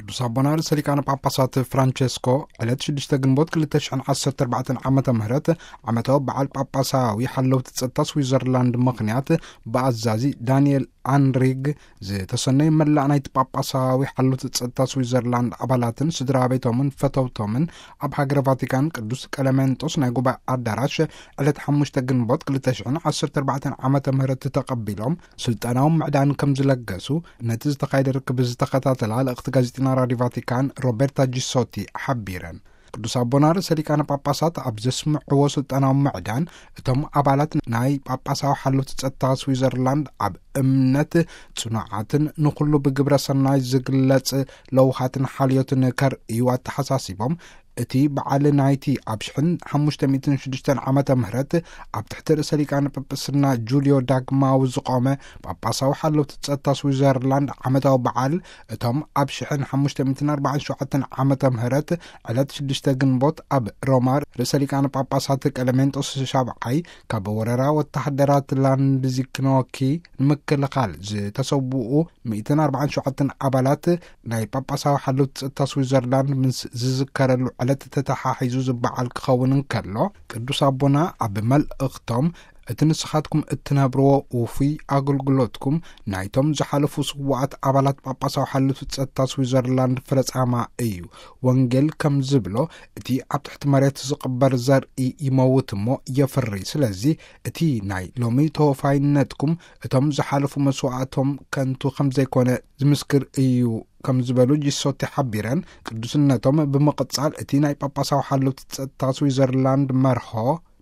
ቅዱስ ኣቦና ርእሰ ሊቃነ ጳጳሳት ፍራንቸስኮ ዕለት ሽዱሽተ ግንቦት ክልተ ሽሕን ዓሰርተ ኣርባዕተን ዓመተ ምህረት ዓመታዊ በዓል ጳጳሳዊ ሓለውቲ ጸጥታ ስዊዘርላንድ ምኽንያት ብኣዛዚ ዳንኤል ኣንሪግ ዝተሰነዩ መላእ ናይቲ ጳጳሳዊ ሓለውቲ ጸጥታ ስዊዘርላንድ ኣባላትን ስድራ ቤቶምን ፈተውቶምን ኣብ ሃገረ ቫቲካን ቅዱስ ቀለሜንጦስ ናይ ጉባኤ ኣዳራሽ ዕለት ሓሙሽተ ግንቦት ክልተ ሽሕን ዓሰርተ ኣርባዕተን ዓመተ ምህረት ተቐቢሎም ስልጣናዊ ምዕዳን ከም ዝለገሱ ነቲ ዝተኻየደ ርክብ ዝተኸታተላ ልእኽቲ ጋዜጠኛ ራዲዮ ቫቲካን ሮቤርታ ጂሶቲ ሓቢረን። ቅዱስ ኣቦና ርእሰ ሊቃነ ጳጳሳት ኣብ ዘስምዕዎ ስልጣናዊ ምዕዳን እቶም ኣባላት ናይ ጳጳሳዊ ሓለውቲ ጸጥታ ስዊዘርላንድ ኣብ እምነት ጽኑዓትን ንኹሉ ብግብረ ሰናይ ዝግለጽ ለውሃትን ሓልዮትን ከርእዩ ኣተሓሳሲቦም፣ እቲ በዓል ናይቲ ኣብ ሽሕን ሓሙሽተ ሚእትን ሽዱሽተን ዓመተ ምህረት ኣብ ትሕቲ ርእሰ ሊቃነ ጳጳስና ጁልዮ ዳግማዊ ዝቖመ ጳጳሳዊ ሓለውቲ ጸጥታ ስዊዘርላንድ ዓመታዊ በዓል እቶም ኣብ ሽሕን ሓሙሽተ ሚእትን ኣርባዓን ሸውዓተን ዓመተ ምህረት ዕለት ሽዱሽተ ግንቦት ኣብ ሮማ ርእሰ ሊቃነ ጳጳሳት ቀለሜንጦስ ሻብዓይ ካብ ወረራ ወተሃደራት ላንድዚክኖኪ ንምክልኻል ዝተሰውኡ ሚእትን ኣርባዓን ሸውዓተን ኣባላት ናይ ጳጳሳዊ ሓለውቲ ጸጥታ ስዊዘርላንድ ምስ ዝዝከረሉ ዕለት ተተሓሒዙ ዝበዓል ክኸውን እንከሎ፣ ቅዱስ ኣቦና ኣብ መልእኽቶም፣ እቲ ንስኻትኩም እትነብርዎ ውፉይ ኣገልግሎትኩም ናይቶም ዝሓለፉ ስዉኣት ኣባላት ጳጳሳዊ ሓለውቲ ጸጥታ ስዊዘርላንድ ፍረጻማ እዩ። ወንጌል ከም ዝብሎ፣ እቲ ኣብ ትሕቲ መሬት ዝቕበር ዘርኢ ይመውት እሞ የፍሪ። ስለዚ እቲ ናይ ሎሚ ተወፋይነትኩም እቶም ዝሓለፉ መስዋእቶም ከንቱ ከም ዘይኮነ ዝምስክር እዩ ከም ዝበሉ ጂሶቲ ሓቢረን፣ ቅዱስነቶም ብምቕጻል እቲ ናይ ጳጳሳዊ ሓለውቲ ጸጥታ ስዊዘርላንድ መርሆ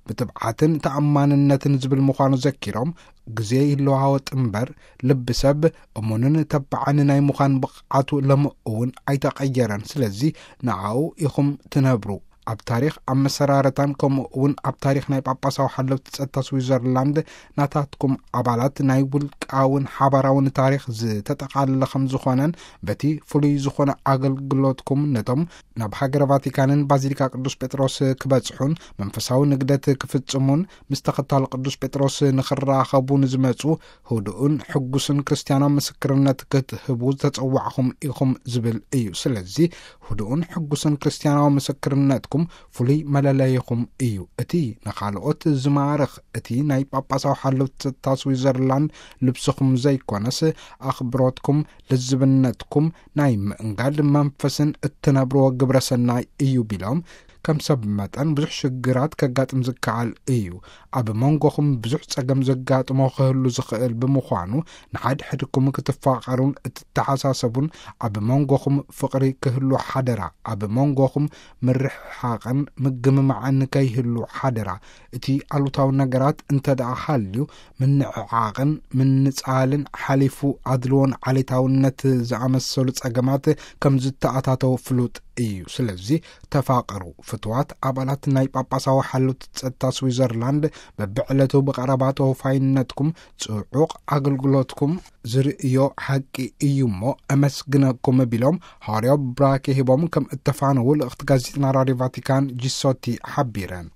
ብትብዓትን ተኣማንነትን ዝብል ምዃኑ ዘኪሮም፣ ግዜ ይለዋወጥ እምበር ልቢ ሰብ እሙንን ተባዕን ናይ ምዃን ብቕዓቱ ሎሚ እውን ኣይተቐየረን። ስለዚ ንኣኡ ኢኹም ትነብሩ። ኣብ ታሪኽ፣ ኣብ መሰራረታን ከምኡ እውን ኣብ ታሪኽ ናይ ጳጳሳዊ ሓለውቲ ጸጥታ ስዊዘርላንድ ናታትኩም ኣባላት ናይ ውልቃውን ሓባራውን ታሪኽ ዝተጠቓለለ ከም ዝኾነን በቲ ፍሉይ ዝኾነ ኣገልግሎትኩም ነቶም ናብ ሃገረ ቫቲካንን ባዚሊካ ቅዱስ ጴጥሮስ ክበጽሑን መንፈሳዊ ንግደት ክፍጽሙን ምስ ተኸታሊ ቅዱስ ጴጥሮስ ንኽራኸቡ ንዝመጹ ህዱእን ሕጉስን ክርስትያናዊ ምስክርነት ክትህቡ ዝተጸዋዕኹም ኢኹም ዝብል እዩ። ስለዚ ህዱእን ሕጉስን ክርስትያናዊ ምስክርነትኩም ፍሉይ መለለይኹም እዩ። እቲ ንኻልኦት ዝማርኽ፣ እቲ ናይ ጳጳሳዊ ሓለውቲ ጸጥታ ስዊዘርላንድ ልብስኹም ዘይኮነስ፣ ኣኽብሮትኩም፣ ልዝብነትኩም፣ ናይ ምእንጋድ መንፈስን እትነብርዎ ግብረ ሰናይ እዩ ቢሎም፣ ከም ሰብ መጠን ብዙሕ ሽግራት ከጋጥም ዝከኣል እዩ። ኣብ መንጎኹም ብዙሕ ጸገም ዘጋጥሞ ክህሉ ዝኽእል ብምዃኑ፣ ንሓድሕድኩም ክትፋቐሩን እትተሓሳሰቡን፣ ኣብ መንጎኹም ፍቕሪ ክህሉ ሓደራ። ኣብ መንጎኹም ምርሕሓቕን ምግምማዕን ከይህሉ ሓደራ። እቲ ኣሉታዊ ነገራት እንተ ደኣ ሃልዩ፣ ምንዕዓቕን ምንጻልን ሓሊፉ ኣድልዎን ዓሌታውነት ዝኣመሰሉ ጸገማት ከም ዝተኣታተው ፍሉጥ እዩ። ስለዚ ተፋቐሩ። ፍቱዋት ኣባላት ናይ ጳጳሳዊ ሓለውቲ ጸጥታ ስዊዘርላንድ በብዕለቱ ብቐረባ ተወፋይነትኩም ጽዑቕ ኣገልግሎትኩም ዝርእዮ ሓቂ እዩ እሞ፣ ኣመስግነኩም ቢሎም ሃዋርያዊ ብራኬ ሂቦም ከም እተፋነዉ ልእኽቲ ጋዜጠና ራድዮ ቫቲካን ጂሶቲ ሓቢረን።